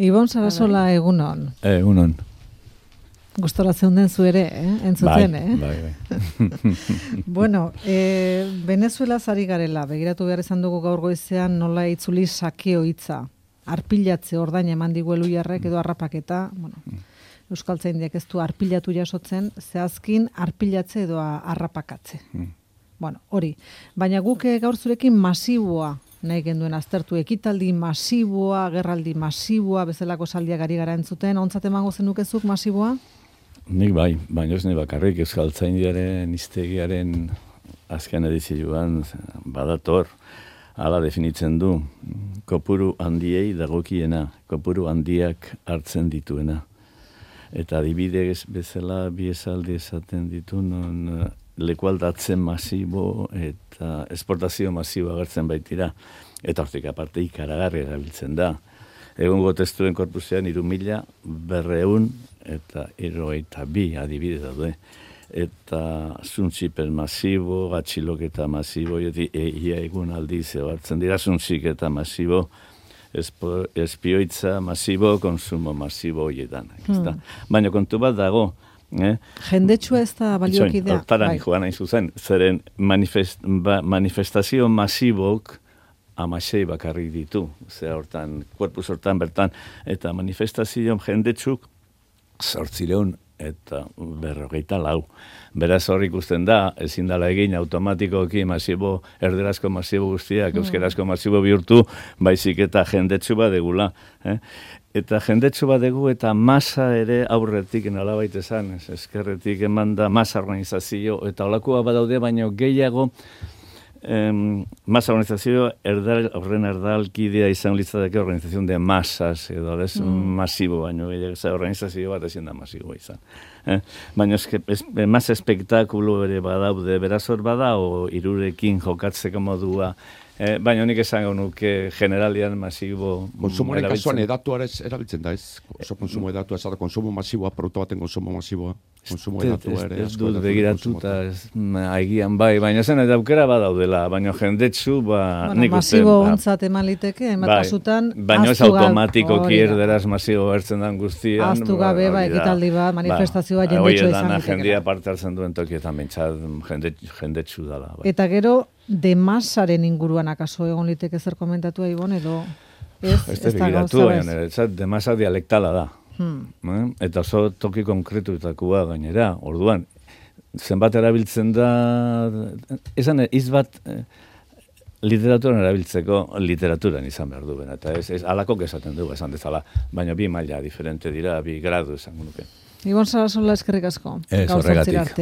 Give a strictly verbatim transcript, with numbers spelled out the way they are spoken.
Ibon Sarasola egunon. Egunon. Gustora zeunden zu ere, eh? Entzuten, bai, eh? Bai, bai. Bueno, eh, Venezuela zari garela, begiratu behar izan dugu gaur goizean nola itzuli sakeo hitza. Arpilatze ordain eman diguelu jarrek edo harrapaketa, bueno, euskaltzaindiak ez du arpilatu jasotzen, zehazkin arpilatze edo harrapakatze. Mm. Bueno, hori. Baina guk gaur zurekin masiboa nahi genduen aztertu, ekitaldi masiboa, gerraldi masiboa, bezalako saldiak ari gara entzuten, ontzat emango zenukezuk masiboa? Nik bai, baina ez ni bakarrik euskaltzaindiaren hiztegiaren azken edizioan badator, hala definitzen du, kopuru handiei dagokiena, kopuru handiak hartzen dituena. Eta adibidez bezala bi esaldi esaten ditu, non lekualdatzen masibo eta esportazio masibo agertzen baitira. Eta hortik aparte ikaragarri erabiltzen da. Egungo testuen korpusean hiru mila berrehun eta hirurogeita bi adibide daude. Eta zuntzipen masibo, gatxiloketa masibo, eta ia egun aldiz hartzen dira zuntzik eta masibo, espioitza masibo, konsumo masibo horietan. Hmm. Baina kontu bat dago, Eh? Jendetsua ez da baliokidea. Hortara bai. Joan nahi zuzen, zeren manifest, ba, manifestazio masibok amasei bakarrik ditu, ze hortan, korpus hortan bertan, eta manifestazio jendetsuk zortzireun eta berrogeita lau. Beraz hor ikusten da, ezin dala egin automatikoki masibo, erderazko masibo guztiak, mm. euskerazko masibo bihurtu, baizik eta jendetsu badegula. Eh? Eta jendetsu badegu eta masa ere aurretik nolabait esan, eskerretik eman da masa organizazio, eta olakoa badaude, baina gehiago em, masa organizazio erdal, horren erdalkidea izan litzateke organizazion de masas, edo ez mm. masibo, baina gehiago organizazio bat ezin da masibo izan. Eh? Baina eske, es, mas espektakulo ere badaude, beraz hor bada, o irurekin jokatzeko modua, Eh, baina honik esango nuke generalian masibo... Konsumoaren kasuan edatuare erabiltzen da, ez? Oso konsumo edatua, ez da konsumo masiboa, produktu baten konsumo masiboa. Konsumo edatua ere... Ez dut begiratuta, aigian bai, baina zen eta aukera badaudela, baina jendetsu, ba... Bueno, masibo ontzat eman liteke, emat kasutan... Baina ez automatikoki erderaz masibo bertzen den guztian... Aztu gabe, ba, ekitaldi bat, manifestazioa jendetsu izan liteke. Jendia parte hartzen duen tokietan bentsat jendetsu dala. Eta gero... De masaren inguruan akaso egon liteke zer komentatu Ibon edo ez, ez, ez da gauza bez? De masa dialektala da. Hmm. Eh? Eta oso toki konkretuetakoa gainera. Orduan, zenbat erabiltzen da, esan iz bat eh, literaturan erabiltzeko literaturan izan behar duen. Eta ez, ez alakok esaten du, esan dezala. Baina bi maila diferente dira, bi gradu esan nuke. Ibon Sarasola eskerrik asko. Ez, horregatik.